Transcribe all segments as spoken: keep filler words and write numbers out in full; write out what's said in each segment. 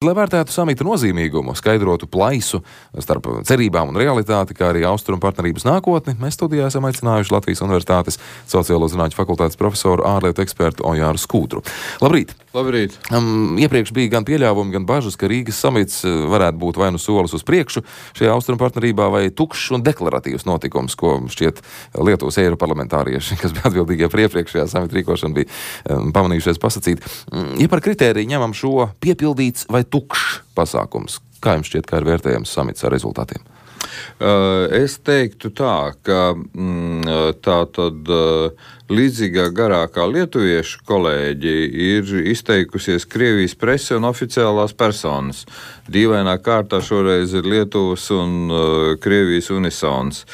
Lai vērtētu samita nozīmīgumu, skaidrotu plaisu starp cerībām un realitāti, kā arī austrumu partnerības nākotni, mēs studijā esam aicinājuši Latvijas Universitātes sociālo zinātņu fakultātes profesoru ārlietu ekspertu Ojāru Skūdru. Labrīt! Labrīt! Um, iepriekš bija gan pieļāvumi, gan bažas, ka Rīgas samits varētu būt vai nu solis uz priekšu šajā austrumu partnerībā, vai tukšs un deklaratīvs notikums, ko šķiet Lietuvas eiroparlamentārieši, kas bija atbildīgie par iepriekšējā samita rīkošanu, bija um, pamanījušies pasacīt. Ja par kritēriju ņemam šo piepildīts vai tukšs pasākums, kā jums šķiet, kā ir vērtējams samits ar rezultātiem? Uh, es teiktu tā, ka mm, tā tad uh, līdzīgā garā kā lietuviešu kolēģi ir izteikusies Krievijas prese un oficiālās personas. Dīvainā kārtā šoreiz ir Lietuvas un uh, Krievijas unisons.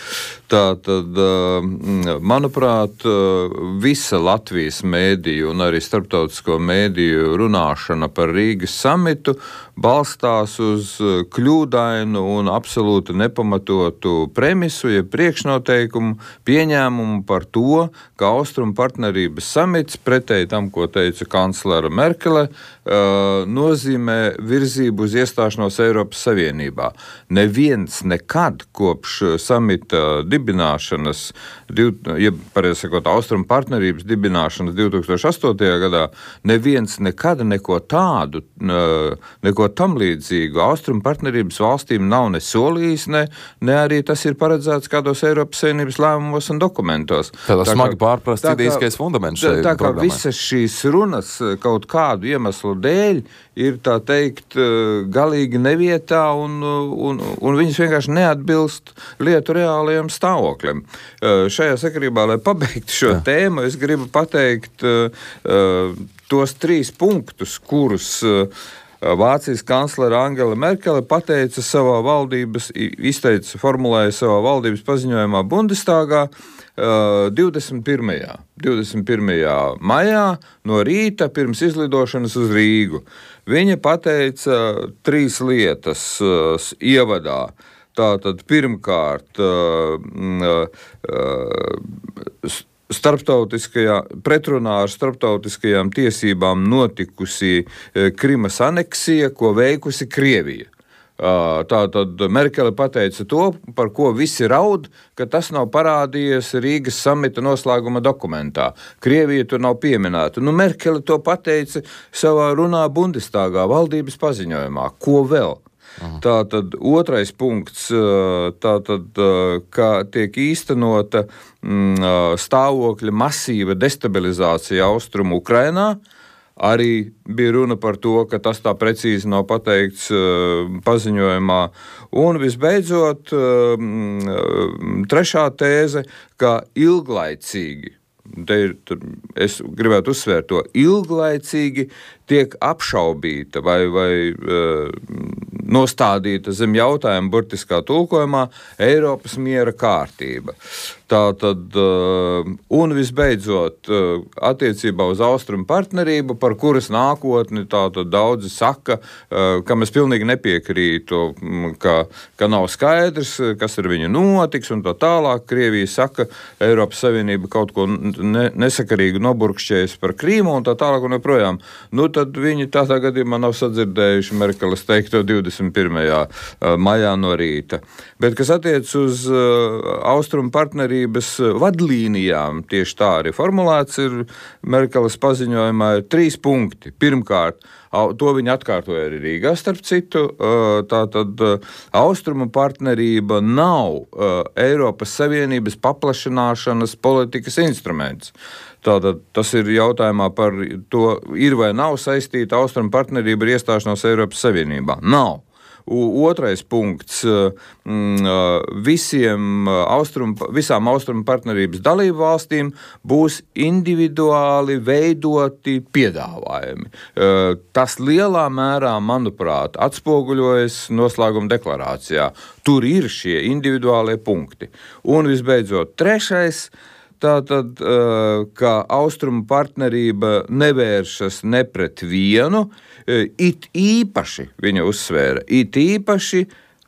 Tā tad, uh, manuprāt, uh, visa Latvijas mēdīju un arī starptautisko mēdīju runāšana par Rīgas samitu balstās uz kļūdainu un absolūti nepamatotu premisu, ja priekšnoteikumu, pieņēmumu par to, ka Austrumu partnerības samits, pretēji tam, ko teica kanclere Merkele, uh, nozīmē virzību uz iestāšanos Eiropas Savienībā. Neviens nekad kopš samita dibināšanas, div, ja pareizi sakot, Austrumu partnerības dibināšanas divi tūkstoši astotajā gadā, neviens nekad neko tādu, neko tam līdzīgu Austrumu partnerības valstīm nav ne solījis, ne, ne arī tas ir paredzēts kādos Eiropas Savienības lēmumos un dokumentos. Tādā tā smagi pārprasts idejiskais fundaments šai tā, tā kā programmai. Visas šīs runas kaut kādu iemeslu dēļ ir, tā teikt, galīgi nevietā un, un, un viņas vienkārši neatbilst lietu reālajiem stāvokļiem. Šajā sakarībā, lai pabeigtu šo Jā. tēmu, es gribu pateikt uh, tos trīs punktus, kurus uh, Vācijas kanclere Angela Merkele pateica savā valdības, izteica, formulēja savā valdības paziņojumā Bundestagā uh, divdesmit pirmajā maijā no rīta pirms izlidošanas uz Rīgu. Viņa pateica trīs lietas uh, ievadā. Tātad pirmkārt uh, uh, starptautiskajā, pretrunā ar starptautiskajām tiesībām notikusi Krimas aneksija, ko veikusi Krievija. Tātad Merkele pateica to, par ko visi raud, ka tas nav parādījies Rīgas samita noslēguma dokumentā. Krievija tur nav pieminēta. Nu, Merkele to pateica savā runā Bundestagā, valdības paziņojumā. Ko vēl? Aha. Tātad otrais punkts, tātad, kā tiek īstenota stāvokļa masīva destabilizācija austrumu Ukrainā, arī bija runa par to, ka tas tā precīzi nav pateikts paziņojumā. Un visbeidzot, trešā tēze, ka ilglaicīgi, te ir, es gribētu uzsvērt to, ilglaicīgi tiek apšaubīta vai, vai uh, nostādīta zem jautājuma burtiskā tulkojumā Eiropas miera kārtība. Tātad, uh, un visbeidzot, uh, attiecībā uz austrumu partnerību, par kuras nākotni tātad daudzi saka, uh, kam es pilnīgi nepiekrītu, ka, ka nav skaidrs, kas ar viņu notiks un tā tālāk. Krievija saka, Eiropas Savienība kaut ko ne, nesakarīgi noburkšķējas par Krīmu un tā tālāk un joprojām. Nu, tad viņi tādā gadījumā nav sadzirdējuši Merkeles teikto divdesmit pirmajā maijā no rīta. Bet, kas attiec uz austrumu partnerības vadlīnijām, tieši tā arī formulēts ir Merkeles paziņojumā, ir trīs punkti. Pirmkārt, to viņi atkārtoja arī Rīgā, starp citu, tātad austrumu partnerība nav Eiropas Savienības paplašināšanas politikas instruments. Tātad tas ir jautājumā par to, ir vai nav saistīta austrumu partnerība ar iestāšanos Eiropas Savienībā. Nav. Otrais punkts, visiem austrum, visām austrumu partnerības dalību valstīm būs individuāli veidoti piedāvājumi. Tas lielā mērā, manuprāt, atspoguļojas noslēguma deklarācijā. Tur ir šie individuālie punkti. Un visbeidzot, trešais, tātad, ka austrumu partnerība nevēršas ne pret vienu, it īpaši, viņa uzsvēra, it īpaši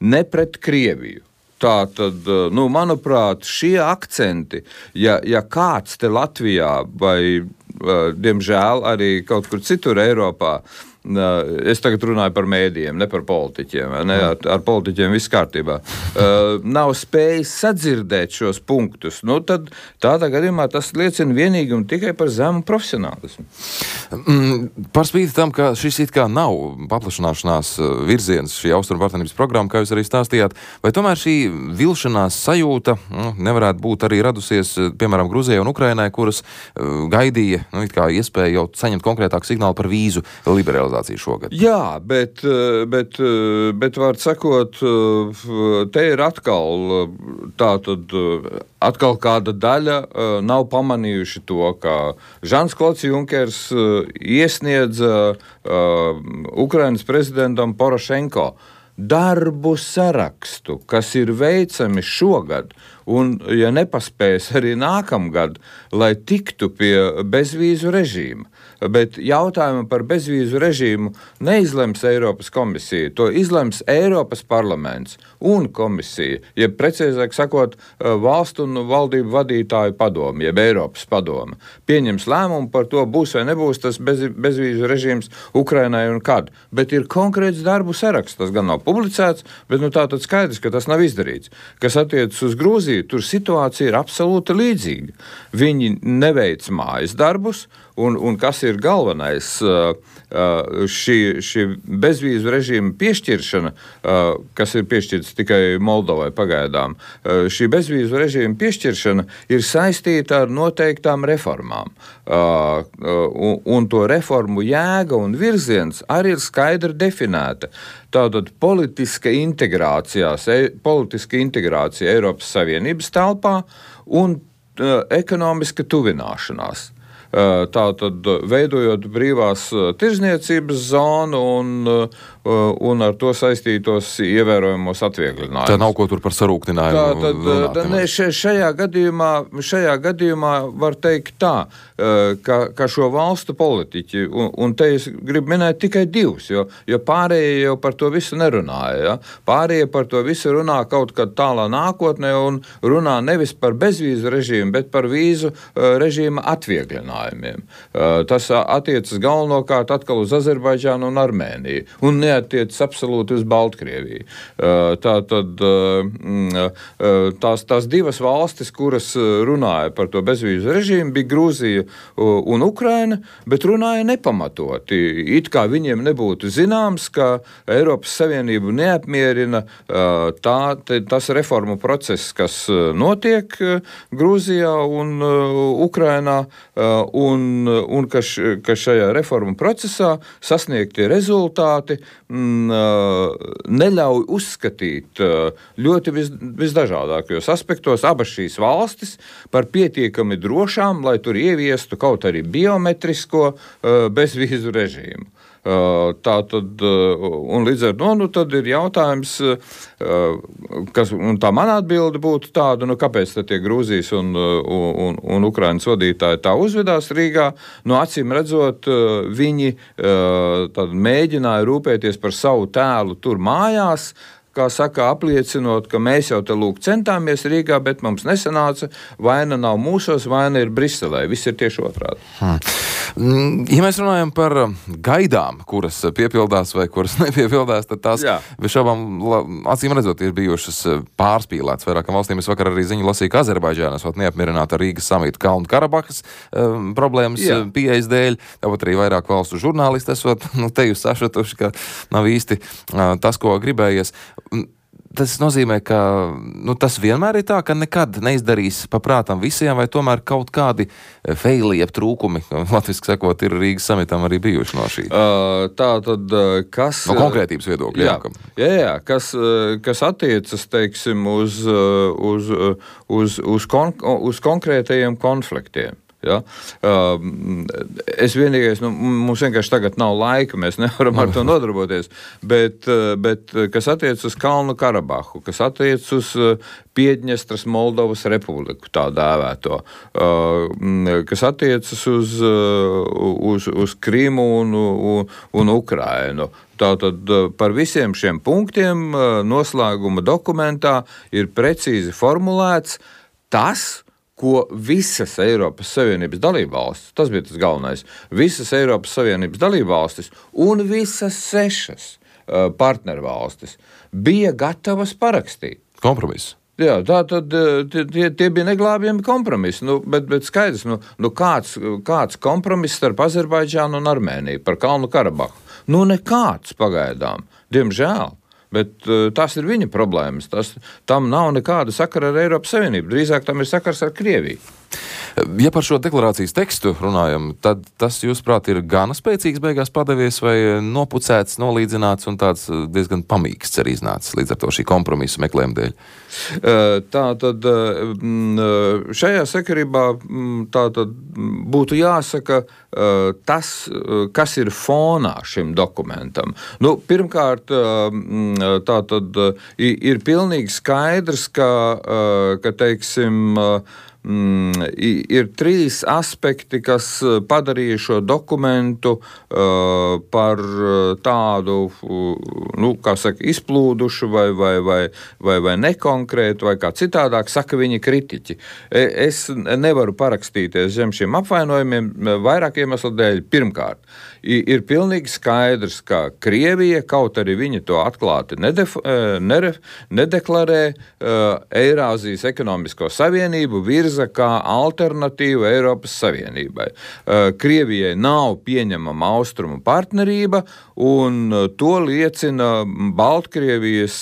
ne pret Krieviju. Tātad, nu, manuprāt, šie akcenti, ja, ja kāds te Latvijā vai, diemžēl, arī kaut kur citur Eiropā es tagad runāju par mēdījiem, ne par politiķiem, ne, ar, ar politiķiem viss kārtībā, uh, nav spējis sadzirdēt šos punktus, nu tad tādā gadījumā tas liecina vienīgi un tikai par zemu profesionālismu. Mm, par spīti tam, ka šis it kā nav paplašanāšanās virziens, šī austrumu partnerības programma, kā jūs arī stāstījāt, vai tomēr šī vilšanās sajūta nu, nevarētu būt arī radusies, piemēram, Gruzijai un Ukrainai, kuras uh, gaidīja nu, it kā iespēju jau saņemt konkrētāku signālu par vīzu liberalizāciju šogad? Jā, bet, bet, bet var sakot, te ir atkal tā tad atkal kāda daļa nav pamanījuši to, ka Žans Klods Junkers iesniedza Ukrainas prezidentam Porošenko darbu sarakstu, kas ir veicami šogad, un, ja nepaspēs arī nākamgad, lai tiktu pie bezvīzu režīma. Bet jautājumu par bezvīzu režīmu neizlems Eiropas komisija, to izlems Eiropas parlaments un komisija, jeb precīzāk sakot, valstu un valdību vadītāju padome, jeb Eiropas padome. Pieņems lēmumu par to, būs vai nebūs tas bez, bezvīzu režīms Ukrainai un kad. Bet ir konkrēts darbu saraksts, tas gan nav publicēts, bet nu tā tad skaidrs, ka tas nav izdarīts. Kas attiecas uz Grūziju, tur situācija ir absolūti līdzīga. Viņi neveic mājas darbus, un, un kas ir galvenais, šī, šī bezvīzu režīma piešķiršana, kas ir piešķirts tikai Moldovai pagaidām, šī bezvīzu režīma piešķiršana ir saistīta ar noteiktām reformām. Un, un to reformu jēga un virziens arī ir skaidri definēta. Tātad politiska integrācija, politiska integrācija Eiropas Savienības telpā un uh, ekonomiska tuvināšanās. Tātad veidojot brīvās tirzniecības zonu un, un ar to saistītos ievērojamos atviegļinājumus. Tā nav ko tur par sarūktinājumu. Tā, tad, runāt, tā, ne, šajā, gadījumā, šajā gadījumā var teikt tā, ka, ka šo valstu politiķi, un, un te es gribu minēt tikai divus, jo, jo pārējie jau par to visu nerunāja. Ja? Pārējie par to visu runā kaut kad tālā nākotnē un runā nevis par bezvīzu režīmu, bet par vīzu režīma atviegļinājumu. Tas attiecas galvenokārt atkal uz Azerbaidžānu un Armēniju, un neattiecas absolūti uz Baltkrieviju. Tā tad tās, tās divas valstis, kuras runāja par to bezvīzu režīmu, bija Grūzija un Ukraina, bet runāja nepamatoti. It kā viņiem nebūtu zināms, ka Eiropas Savienību neapmierina tā, tas reformu process, kas notiek Grūzijā un Ukrainā, Un, un ka, š, ka šajā reformu procesā sasniegtie rezultāti m, neļauj uzskatīt ļoti vis, visdažādākajos aspektos abas šīs valstis par pietiekami drošām, lai tur ieviestu kaut arī biometrisko bezvīzu režīmu. Tā tad, un līdz ar to, nu, tad ir jautājums, kas, un tā mana atbilde būtu tāda, nu, kāpēc tad tie Grūzijas un, un, un Ukrainas vadītāji tā uzvedās Rīgā, nu, acīm redzot, viņi tad mēģināja rūpēties par savu tēlu tur mājās, kā saka, apliecinot, ka mēs jau te lūk centāmies Rīgā, bet mums nesanāca, vaina nav mūsos, vaina ir Briselē. Viss ir tieši otrādi. Hmm. Ja mēs runājam par gaidām, kuras piepildās vai kuras nepiepildās, tad tās bez šaubām, acīm redzot, ir bijušas pārspīlētas vairākām valstīm. Es vakar arī ziņu lasīju, ka Azerbaidžāna esot neapmierināta ar Rīgas samita Kalnu Karabahas um, problēmas Jā. pieejas dēļ. Tāpat arī vairāk valstu žurnālisti esot, nu, te jūs sašatuši, ka nav īsti uh, tas, ko gribējies. Tas nozīmē, ka nu, tas vienmēr ir tā, ka nekad neizdarīs paprātam visiem, vai tomēr kaut kādi feili, jeb trūkumi, latviski sakot, ir Rīgas samitam arī bijuši no šī. Uh, tā tad, kas... No konkrētības viedokļa. Jā, jā, jā kas, kas attiecas, teiksim, uz, uz, uz, uz, kon, uz konkrētajiem konfliktiem. Ja? Uh, es vienīgais, nu, mums vienkārši tagad nav laika, mēs nevaram ar to nodarboties, bet, bet kas attiec uz Kalnu Karabahu, kas attiec uz Piedņestras Moldovas republiku, tā dēvēto, uh, kas attiecas uz, uz, uz Krimu un, un, un Ukrainu. Tātad par visiem šiem punktiem noslēguma dokumentā ir precīzi formulēts tas, ko visas Eiropas Savienības dalībvalstis, tas bija tas galvenais, visas Eiropas Savienības dalībvalstis un visas sešas uh, partnervalstis bija gatavas parakstīt. Kompromiss. Jā, tā tad tie, tie bija neglābjami kompromisi, nu, bet, bet skaidrs, nu, nu kāds, kāds kompromiss starp Azerbaidžānu un Armēniju par Kalnu Karabahu? Nu, nekāds pagaidām, diemžēl. Bet uh, tas ir viņa problēmas. Tas, tam nav nekāda sakara ar Eiropas Savienību. Drīzāk tam ir sakars ar Krieviju. Ja par šo deklarācijas tekstu runājam, tad tas, jūsuprāt, ir gana spēcīgs beigās padevies vai nopucēts, nolīdzināts un tāds diezgan pamīksts arī iznācis līdz ar to šī kompromisa meklējuma dēļ? Tā tad šajā sakarībā tā tad būtu jāsaka tas, kas ir fonā šim dokumentam. Nu, pirmkārt, tā tad ir pilnīgi skaidrs, ka, ka teiksim, Mm, ir trīs aspekti, kas padarīja šo dokumentu uh, par tādu, nu, kā saka, izplūdušu vai, vai, vai, vai, vai nekonkrētu, vai kā citādāk saka viņa kritiķi. Es nevaru parakstīties zem šiem apvainojumiem vairāk iemeslu dēļ. Pirmkārt, ir pilnīgi skaidrs, ka Krievija, kaut arī viņi to atklāti nedef, neref, nedeklarē, Eirāzijas ekonomisko savienību virza kā alternatīva Eiropas Savienībai. Krievijai nav pieņemama austrumu partnerība, un to liecina Baltkrievijas,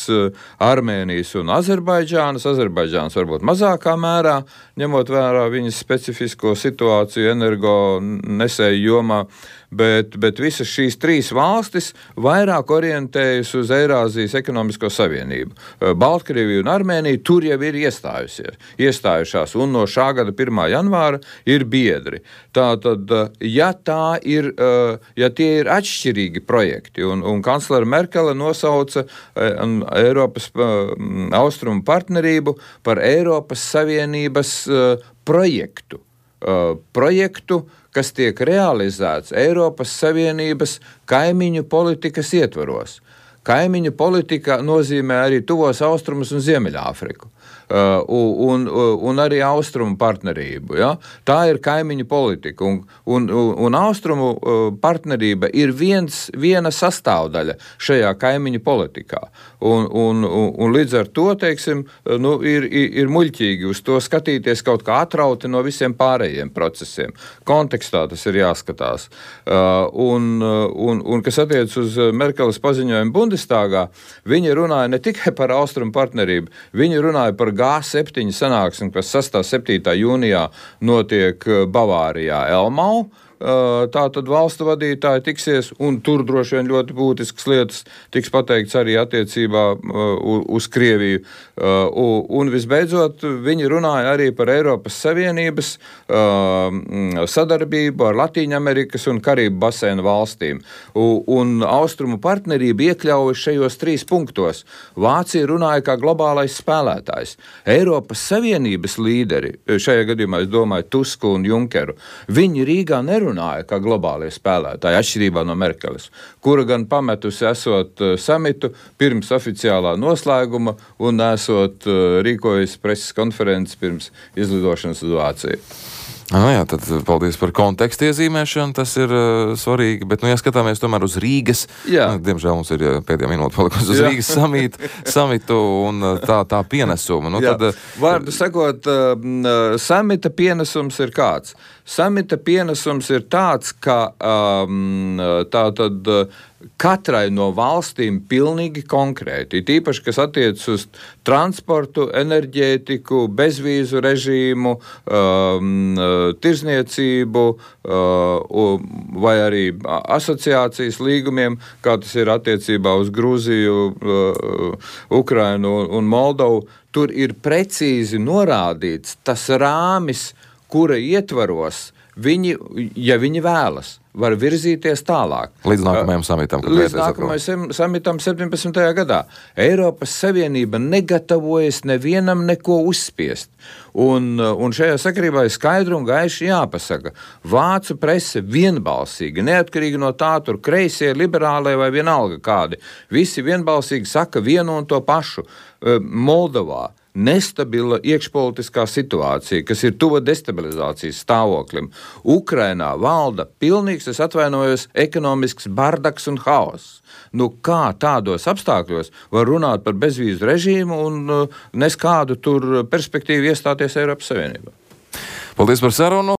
Armēnijas un Azerbaidžānas. Azerbaidžānas varbūt mazākā mērā, ņemot vērā viņas specifisko situāciju energo nesēju jomā, bet, bet visas šīs trīs valstis vairāk orientējas uz Eirāzijas ekonomisko savienību. Baltkrievija un Armēnija tur jau ir iestājusies, iestājušās, un no šā gada pirmā janvāra ir biedri. Tātad, ja tā ir, ja tie ir atšķirīgi projekti, un, un kanclere Merkele nosauca Eiropas austrumu partnerību par Eiropas Savienības projektu. Projektu, kas tiek realizēts Eiropas Savienības kaimiņu politikas ietvaros. Kaimiņu politika nozīmē arī tuvos austrumus un Ziemeļāfriku. Uh, un, un arī austrumu partnerību. Ja? Tā ir kaimiņu politika, un, un, un austrumu partnerība ir viens, viena sastāvdaļa šajā kaimiņu politikā. Un, un, un, un līdz ar to, teiksim, nu, ir, ir muļķīgi uz to skatīties kaut kā atrauti no visiem pārējiem procesiem. Kontekstā tas ir jāskatās. Uh, un, un, un kas attiec uz Merkeles paziņojumu Bundestāgā, viņi runāja ne tikai par austrumu partnerību, viņi runāja par G septiņi sanāksmi, kas sastā septītā jūnijā notiek Bavārijā Elmau. Tātad valstu vadītāji tiksies, un tur droši vien ļoti būtiskas lietas tiks pateikts arī attiecībā uz Krieviju. Un visbeidzot, viņi runāja arī par Eiropas Savienības sadarbību ar Latīņamerikas un Karību basēnu valstīm. Un austrumu partnerība iekļaujas šajos trīs punktos. Vācija runāja kā globālais spēlētājs. Eiropas Savienības līderi, šajā gadījumā es domāju Tusku un Junkeru, viņi Rīgā nerunāja runāja kā globālie spēlētāji, atšķirībā no Merkeles, kura gan pametusi esot samitu pirms oficiālā noslēguma un esot rīkojusi preses konferences pirms izlidošanas uz Vāciju. Ah, jā, tad paldies par kontekstu iezīmēšanu, tas ir uh, svarīgi, bet, nu, ja skatāmies tomēr uz Rīgas, nu, diemžēl mums ir pēdējā minūte palikusi uz jā. Rīgas samit, samitu un tā, tā pienesumu. Nu, tad, Vārdu sakot, uh, samita pienesums ir kāds? Samita pienesums ir tāds, ka um, tā tad uh, katrai no valstīm pilnīgi konkrēti, tīpaši, kas attiec uz transportu, enerģētiku, bezvīzu režīmu, um, tirzniecību uh, vai arī asociācijas līgumiem, kā tas ir attiecībā uz Grūziju, uh, Ukrainu un Moldovu. Tur ir precīzi norādīts tas rāmis, kura ietvaros viņi, ja viņi vēlas, var virzīties tālāk. Līdz nākamajam samitam. Līdz nākamajam samitam septiņpadsmitajā gadā. Eiropas Savienība negatavojas nevienam neko uzspiest. Un, un šajā sakarībā ir skaidri un gaiši jāpasaka. Vācu prese vienbalsīgi, neatkarīgi no tā, tur kreisie, liberālie vai vienalga kādi, visi vienbalsīgi saka vienu un to pašu. Moldovā nestabila iekšpolitiskā situācija, kas ir tuva destabilizācijas stāvoklim. Ukrainā valda pilnīgs, es atvainojos, ekonomisks bardaks un haoss. Nu, kā tādos apstākļos var runāt par bezvīzu režīmu un uh, nes kādu tur perspektīvu iestāties Eiropas Savienībā? Paldies par sarunu!